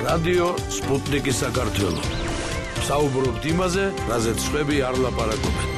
რადიო სპუტნიკი საქართველო. საუბრობთ იმაზე, რაზეც სხვები არ ლაპარაკობენ.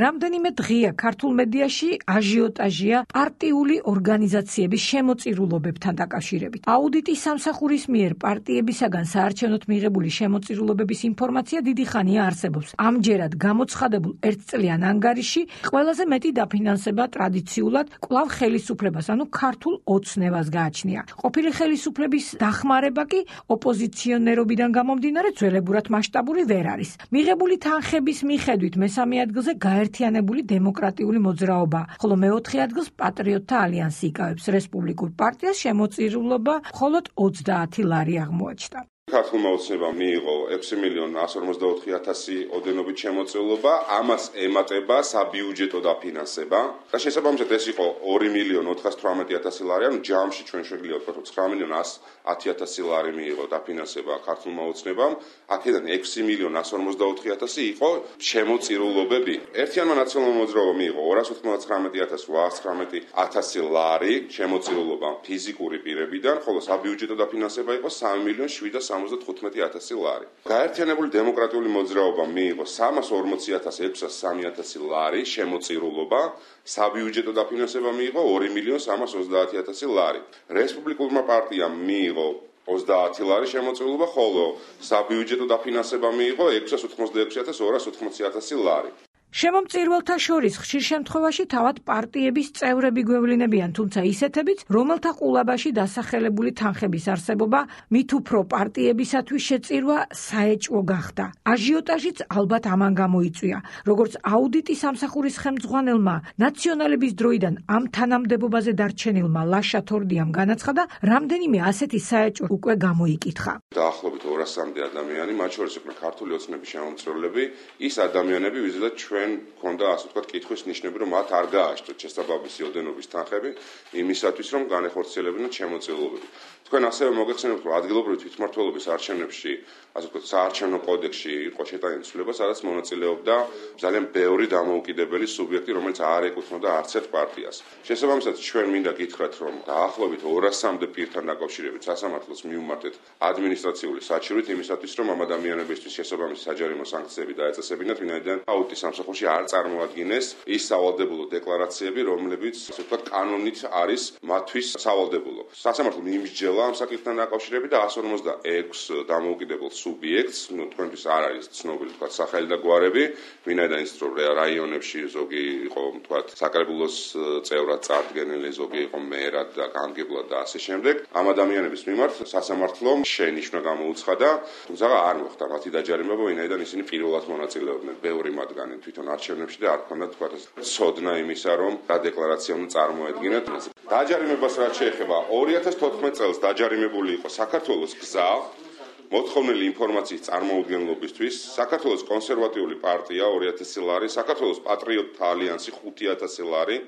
რამდენიმე დღეა ქართულ მედიაში აჟიოტაჟია პარტიული ორგანიზაციების შემოწირულობებთან დაკავშირებით. აუდიტის სამსახურის მიერ პარტიებისაგან საარჩევნოდ მიღებული შემოწირულობების ინფორმაცია დიდი ხანია არსებობს. ამჯერად გამოცხადებულ ერთწლიან ანგარიში ყველაზე მეტი დაფინანსება ტრადიციულად კვლავ ხელისუფლებას, ანუ ქართულ ოცნებას გააჩნია. ყოფილი ხელისუფლების დახმარება კი ოპოზიციონერობიდან გამომდინარე ძველებურად მასშტაბური ვერ არის. მიღებული თანხების მიხედვით მესამე ადგილზე გაერთიანებული დემოკრატიული მოძრაობა, ხოლო მეოთხე ადგილს პატრიოტთა ალიანსი იკავებს. რესპუბლიკურ პარტიას შემოწირულობა მხოლოდ 30 ლარი აღმოაჩნდა. ქართულმა ოცნებამ მიიღო 6.144.000 ოდენობით შემოწირულობა, ამას ემატება საბიუჯეტო დაფინანსება და შესაბამისად ეს იყო 2.418.000 ლარი, ანუ ჯამში ჩვენ შეგვიძლია ვთქვათ 9.110.000 ლარი მიიღო დაფინანსება ქართულმა ოცნებამ, აქედან 6.144.000 იყო შემოწირულობები. ერთიანმა ნაციონალურმა მოძრაობამ მიიღო 219.819.000 ლარი შემოწირულობა ფიზიკური პირებიდან, ხოლო საბიუჯეტო დაფინანსება იყო 3.775.000 ლარი. გაერთიანებული დემოკრატიული მოძრაობამ მიიღო 340.603.000 ლარი შემოწირულობა, საბიუჯეტო დაფინანსება მიიღო 2.330.000 ლარი. რესპუბლიკურმა პარტიამ მიიღო 30 ლარი შემოწირულობა, ხოლო საბიუჯეტო დაფინანსება მიიღო 686.280.000 ლარი. შემომწირულთა შორის ხშირ შემთხვევაში თავად პარტიების წევრები გვევლინებიან, თუმცა ისეთებიც, რომელთა ყულაბაში დასახელებული თანხების არსებობა მით უფრო პარტიებისათვის შეწირვა საეჭვო გახდა. აჟიოტაჟიც ალბათ ამან გამოიწვია. როგორც აუდიტის სამსახურის ხელმძღვანელმა ნაციონალების დროიდან ამ თანამდებობაზე დარჩენილმა ლაშა თორდიამ განაცხადა, რამდენიმე ასეთი საეჭვო უკვე გამოიკითხა. დაახლოებით 200-მდე ადამიანი, მათ შორის იყვნენ ქართული ოცნების შემომწირულები, ის ადამიანები, ვიზედაც ჩვენ ქონდა ასე ვთქვათ კითხვის ნიშნები, რომ მათ არ გააჩნდათ შესაბამისი ოდენობის თანხები იმისათვის, რომ განეხორციელებინათ შემოწირულობები. თქვენ ასევე მოგეხსენებთ, რომ ადგილობრივი თვითმმართველობის არჩევნებში, ასე ვთქვათ, საარჩევნო კოდექსში იყო შეტანილი ცვლილება, სადაც მონაწილეობდა ძალიან ბევრი დამოუკიდებელი სუბიექტი, რომელიც არ ეკუთვნოდა არც ერთ პარტიას. შესაბამისად, ჩვენ მინდა გითხრათ, რომ დაახლოებით 200-მდე პირთან დაკავშირებით სასამართლოს მივმართეთ ადმინისტრაციული საჩივრით იმისათვის, რომ ამ ადამიანებისთვის შესაბამისი საჯარიმო სანქციები დაეწესებინათ, ვინაიდან აუდიტის სამსახურში არ წარმოადგინეს ის სავალდებულო დეკლარაციები, რომლებიც, ასე ვთქვათ, კანონით არის მათთვის სავალდებულო. სასამართლომ იმსჯელა ამ საკითხთან დაკავშირებით და 156 დამოუკიდებელ სუბიექტს, თქვენთვის არ არის ცნობილი, ვთქვათ, სახელი და გვარები, ვინაიდან ის რომ რაიონებში ზოგი იყო, ვთქვათ, საკრებულოს წევრად წარდგენილი, ზოგი იყო მერად და გამგებლად და ასე შემდეგ. ამ ადამიანების მიმართ სასამართლომ შენიშვნა გამოუცხადა, თუმცა არ მოხდა მათი დაჯარიმება, ვინაიდან ისინი პირველად მონაწილეობდნენ, ბევრი მათგანი თვითონ არჩევნებში და არ ქონდათ, ვთქვათ, ცოდნა იმისა, რომ რა დეკლარაცია უნდა წარმოედგინათ. დაჯარიმებას რაც შეეხება 2014 წელს დაჯარიმებული იყო საქართველოს გზა მოთხოვნილი ინფორმაციის წარმოუდგენლობისთვის, საქართველოს კონსერვატიული პარტია 2000 ლარი, საქართველოს პატრიოტთა ალიანსი 5000 ლარი.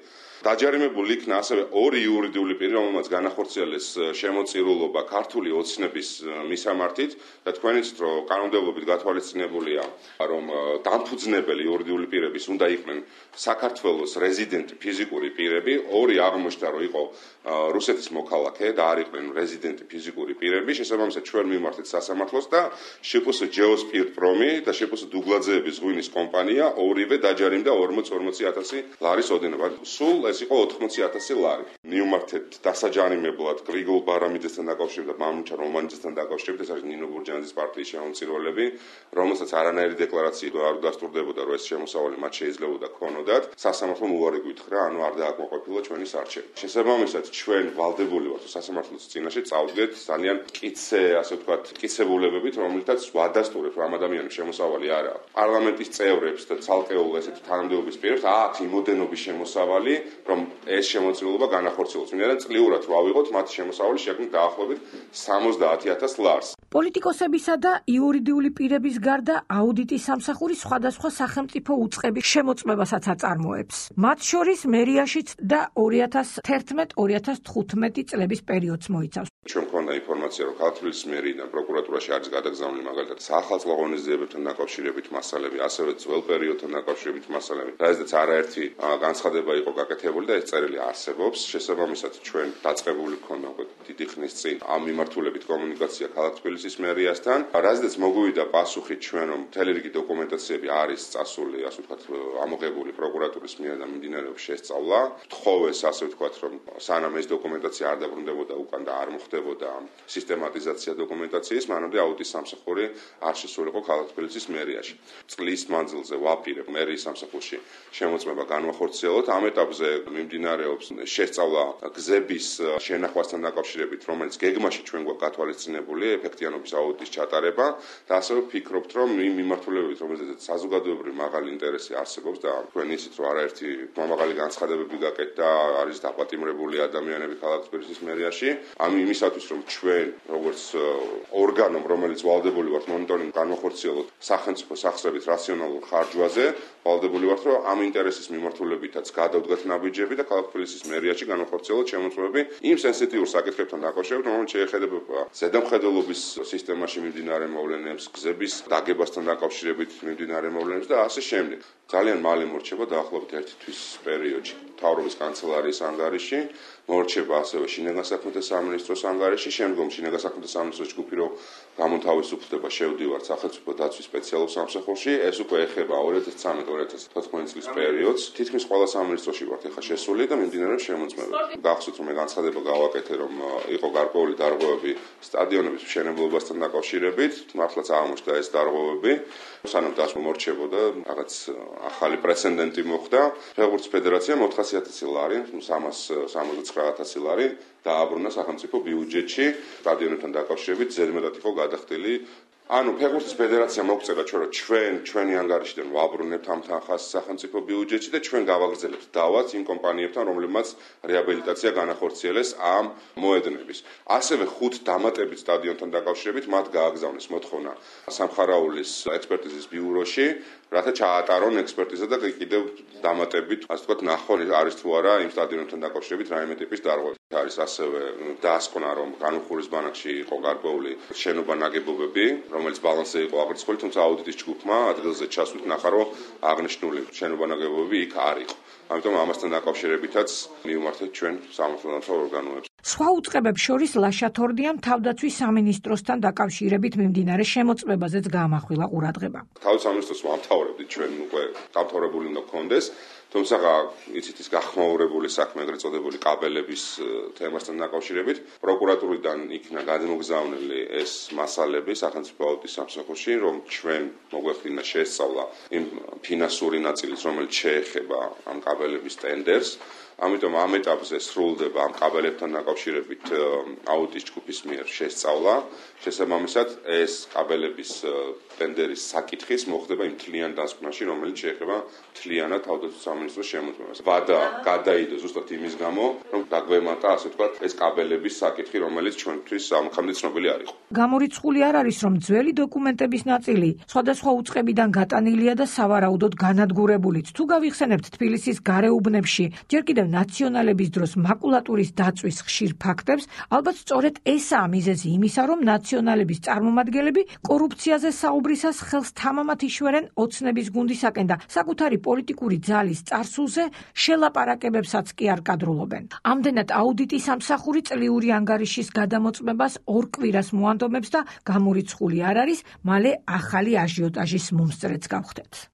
დაჯარიმებული იქნა ასევე ორი იურიდიული პირი, რომელმაც განახორციელეს შემოწირულობა ქართული ოცნების მისამართით და თქვენ იცით, რომ კანონმდებლობით გათვალისწინებულია, რომ დამფუძნებელი იურიდიული პირების უნდა იყვნენ საქართველოს რეზიდენტი ფიზიკური პირები, ორი აღმოჩნდა, რომ იყო რუსეთის მოქალაქე და არ იყვნენ რეზიდენტი ფიზიკური პირები, შესაბამისად ჩვენ მივმართეთ სასამართლოს და შპს ჯეოსპირტპრომი და შპს დუგლაძეების ღვინის კომპანია ორივე დაჯარიმდა 40-40.000 ლარის ოდენობა. სულ ეს იყო 80.000 ლარი. მივმართეთ დასაჯარიმებლად გრიგოლ ბარამიძესთან დაკავშირებით და მამუჩარ რომანიძესთან დაკავშირებით, ეს არის ნინო ბურჯანაძის პარტიის შემომწირულები, რომელსაც არანაირი დეკლარაცია არ დასტურდებოდა, რომ ეს შემოსავალი მათ შეიძლებოდა ქონოდათ. სასამართლომ უარი გითხრა, ანუ არ დააკმაყოფილა ჩვენი სარჩელი. შესაბამისად, ჩვენ ვალდებული ვართ სასამართლოს წინაშე წავდგეთ ძალიან მტკიცე, ასე ვთქვათ, მტკიცებულებებით, რომელთაც ვადასტურებთ, რომ ამ ადამიანის შემოსავალი არ აქვს. პარლამენტის წევრებს და ცალკეულ ესეთ თანამდებობის პირებს აქვს იმოდენობის შემოსავალი, რომ ეს შემოწირულობა განახორციელოს. ვინაიდან წლიურად რო ავიღოთ მათი შემოსავალი შექმნით დაახლოებით 70.000 ლარს. პოლიტიკოსებისა და იურიდიული პირების გარდა აუდიტის სამსახური სხვადასხვა სახელმწიფო უწყების შემოწმებასაც აწარმოებს. მათ შორის მერიაშიც და 2011-2015 წლების პერიოდს მოიცავს. ჩვენ მქონდა ინფორმაცია, რომ ქართლის მერიდან პროკურატურაში არის გადაგზავნილი მაგალითად საახალწლო ღონისძიებებთან დაკავშირებით მასალები, ასევე ძველ პერიოდთან დაკავშირებით მასალები. რაზეც არაერთი განცხადება იყო გაკეთებული და ეს წერილი არსებობს. შესაბამისად, ჩვენ დაწყებული გქონდა უკვე დიდი ხნის წინ ამ მიმართულებით კომუნიკაცია ქალაქ თბილისის მერიასთან. რაზეც მოგვივიდა პასუხი ჩვენ, რომ მთელი რიგი დოკუმენტაციები არის წასული, ასე ვთქვათ, ამოღებული პროკურატურის მიერ და მიმდინარეობს შესწავლა. თხოვეს, ასე ვთქვათ, რომ სანამ ეს დოკუმენტაცია არ დაბრუნდებოდა უკან და არ მოხდებოდა სისტემატიზაცია დოკუმენტაციის, მანამდე აუდიტის სამსახური არ შესულიყო ქალაქ თბილისის მერიაში. წლის მანძილზე ვაპირებ მერიის სამსახურში შემოწმება განვახორციელოთ. ამ ეტაპზე მიმდინარეობს შესწავლა გზების შენახვასთან დაკავშირებით, რომელიც გეგმაში ჩვენ გვაქვს გათვალისწინებული ეფექტიანობის აუდიტის ჩატარება და ასევე ვფიქრობთ, რომ იმ მიმართულებებით, რომელზეც საზოგადოებრივი მაღალი ინტერესი არსებობს და თქვენ იცით, რომ არაერთი მაღალი განცხადებები გაკეთდა, არის დაპატიმრებული ადამიანები ქალაქ თბილისის მერიაში. ამ იმისათვის, რომ ჩვენ როგორც ორგანომ, რომელიც ვალდებული ვართ მონიტორინგ განვახორციელოთ სახელმწიფო სახსრებით რაციონალურ ხარჯვაზე, ვალდებული ვართ, რომ ამ ინტერესის მიმართულებითაც გადავდგათ ნაბიჯები და ქალაქ თბილისის მერიაში განვახორციელოთ შემოწმებები იმ სენსიტიურ საკითხებთან დაკავშირებით, რომელიც შეეხება ზედამხედველობის სისტემაში მიმდინარე მოვლენებს, გზების დაგებასთან დაკავშირებით მიმდინარე მოვლენებს და ასე შემდეგ. ძალიან მალე მორჩება დაახლოებით 1 თვის პერიოდში მთავრობის კანცელარიის ანგარიში, მორჩება ასევე შინაგან საქმეთა სამინისტროს ანგარიში, შემდგომ შინაგან საქმეთა სამინისტროს ჯგუფი რო გამოთავისუფლდება, შევდივართ სახელმწიფო დაცვის სპეციალურ სამსახურში, ეს უკვე ეხება 2013-2014 წლის პერიოდს. თითქმის ყველა სამინისტროში ვართ ეხლა შესული და მიმდინარეობს შემოწმება. გახსოვთ, რომ მე განცხადება გავაკეთე, რომ იყო გარკვეული დარღვევები სტადიონების მშენებლობასთან დაკავშირებით, მართლაც აღმოჩნდა ეს დარღვევები, სანამ დასმა მორჩებოდა, რაღაც ახალი პრეცედენტი მოხდა. ფეხბურთის ფედერაციამ 400.000 ლარი, 379.000 ლარი დააბრუნა სახელმწიფო ბიუჯეტში სტადიონებთან დაკავშირებით, ზედმეტად იყო გადახდილი. ანუ ფეხბურთის ფედერაციამ მოგწერა ჩვენი ანგარიშიდან ვაბრუნებთ ამ თანხას სახელმწიფო ბიუჯეტში და ჩვენ გავაგრძელებთ დავას იმ კომპანიებთან, რომლებმაც რეაბილიტაცია განახორციელეს ამ მოედნების. ასევე 5 დამატებით სტადიონთან დაკავშირებით მათ გააგზავნეს მოთხოვნა სამხარაულის ექსპერტიზის ბიუროში, რათა ჩაატარონ ექსპერტიზა და კიდევ დამატებით, ასე ვთქვათ, ნახონ არის თუ არა იმ სტადიონებთან დაკავშირებით რაიმე ტიპის დარღვევა. არის ასევე დაასკვნა, რომ განუხურის ბანაკში იყო გარკვეული შენობა ნაგებობები, რომელიც ბალანსზე იყო აღრიცხული, თუმცა აუდიტის ჯგუფმა ადგილზე ჩასვით ნახა, რომ აღნიშნული შენობა ნაგებობები იქ არ იყო. ამიტომ ამასთან დაკავშირებითაც მივმართეთ ჩვენ სამართალდამცავ ორგანოებს. სხვა უწყებებს შორის ლაშათორდიამ თავდაცვის სამინისტროსთან დაკავშირებით მიმდინარე შემოწმებაზეც გაამახვილა ყურადღება. თავდაცვის სამინისტროს ვამთავრებდით ჩვენ უკვე დამთავრებული უნდა გქონდეს. თუმცა იცით ის გახმაურებული საქმე, ეგრეთ წოდებული კაბელების თემასთან დაკავშირებით, პროკურატურიდან იქნა გადმოგზავნილი ეს მასალები სახელმწიფო აუდიტის სამსახურში, რომ ჩვენ მოგვეყინა შესწავლა იმ ფინანსური ნაწილის, რომელიც შეეხება ამ კაბელების ტენდერს. ამიტომ ამ ეტაპზე სრულდება ამ კაბელებთან დაკავშირებით აუდიტის ჯგუფის მიერ შესწავლა. შესაბამისად, ეს კაბელების ტენდერის საკითხის მოხდება იმ მთლიან დასკვნაში, რომელიც შეეხება მთლიანად თავდაცვის სამინისტროს შემოწმებას. ვადა გადაიდო ზუსტად იმის გამო, რომ დაგვემატა, ასე ვთქვათ, ეს კაბელების საკითხი, რომელიც ჩვენთვის ამხამდე ცნობილი არ იყო. გამორიცხული არ არის, რომ ძველი დოკუმენტების ნაწილი სხვადასხვა უწყებიდან გატანილია და სავარაუდოდ განადგურებულიც. თუ გავიხსენებთ თბილისის გარეუბნებში, ჯერ კიდევ ნაციონალების დროს მაკულატურის დაწვის ხშირ ფაქტებს, ალბათ სწორედ ესაა მიზეზი იმისა, რომ ნაციონალების წარმომადგენლები კორუფციაზე საუბრისას ხელს თამამად იშვერენ ოცნების გუნდისაკენ და საკუთარი პოლიტიკური ძალის წარსულზე შელაპარაკებებსაც კი არ კადრულობენ. ამდენად აუდიტის სამსახური წლიური ანგარიშის გადამოწმებას 2 კვირას მოანდომებს და გამორიცხული არ არის, მალე ახალი აჟიოტაჟის მომსწრეც გავხდეთ.